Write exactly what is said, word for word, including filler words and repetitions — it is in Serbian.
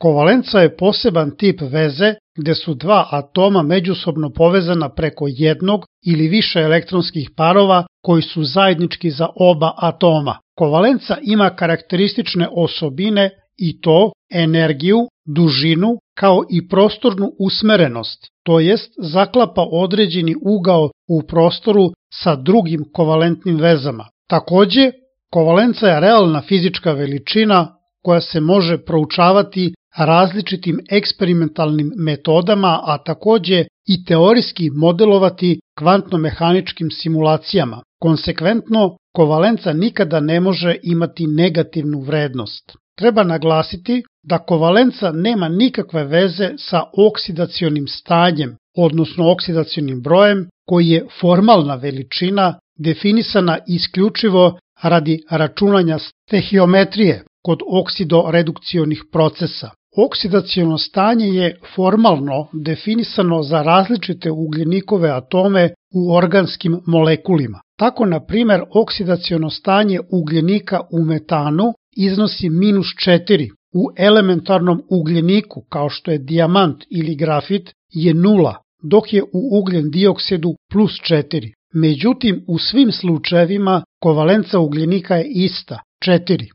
Kovalenca je poseban tip veze gde su dva atoma međusobno povezana preko jednog ili više elektronskih parova koji su zajednički za oba atoma. Kovalenca ima karakteristične osobine i to energiju, dužinu kao i prostornu usmerenost, to jest zaklapa određeni ugao u prostoru sa drugim kovalentnim vezama. Takođe, kovalenca je realna fizička veličina koja se može proučavati različitim eksperimentalnim metodama, a takođe i teorijski modelovati kvantno-mehaničkim simulacijama. Konsekventno, kovalenca nikada ne može imati negativnu vrednost. Treba naglasiti da kovalenca nema nikakve veze sa oksidacionim stanjem, odnosno oksidacionim brojem, koji je formalna veličina definisana isključivo radi računanja stehiometrije kod oksidoredukcionih procesa. Oksidaciono stanje je formalno definisano za različite ugljenikove atome u organskim molekulima. Tako, na primer, oksidaciono stanje ugljenika u metanu iznosi minus četiri, u elementarnom ugljeniku, kao što je dijamant ili grafit, je nula, dok je u ugljen dioksidu plus četiri. Međutim, u svim slučajevima kovalenca ugljenika je ista, četiri.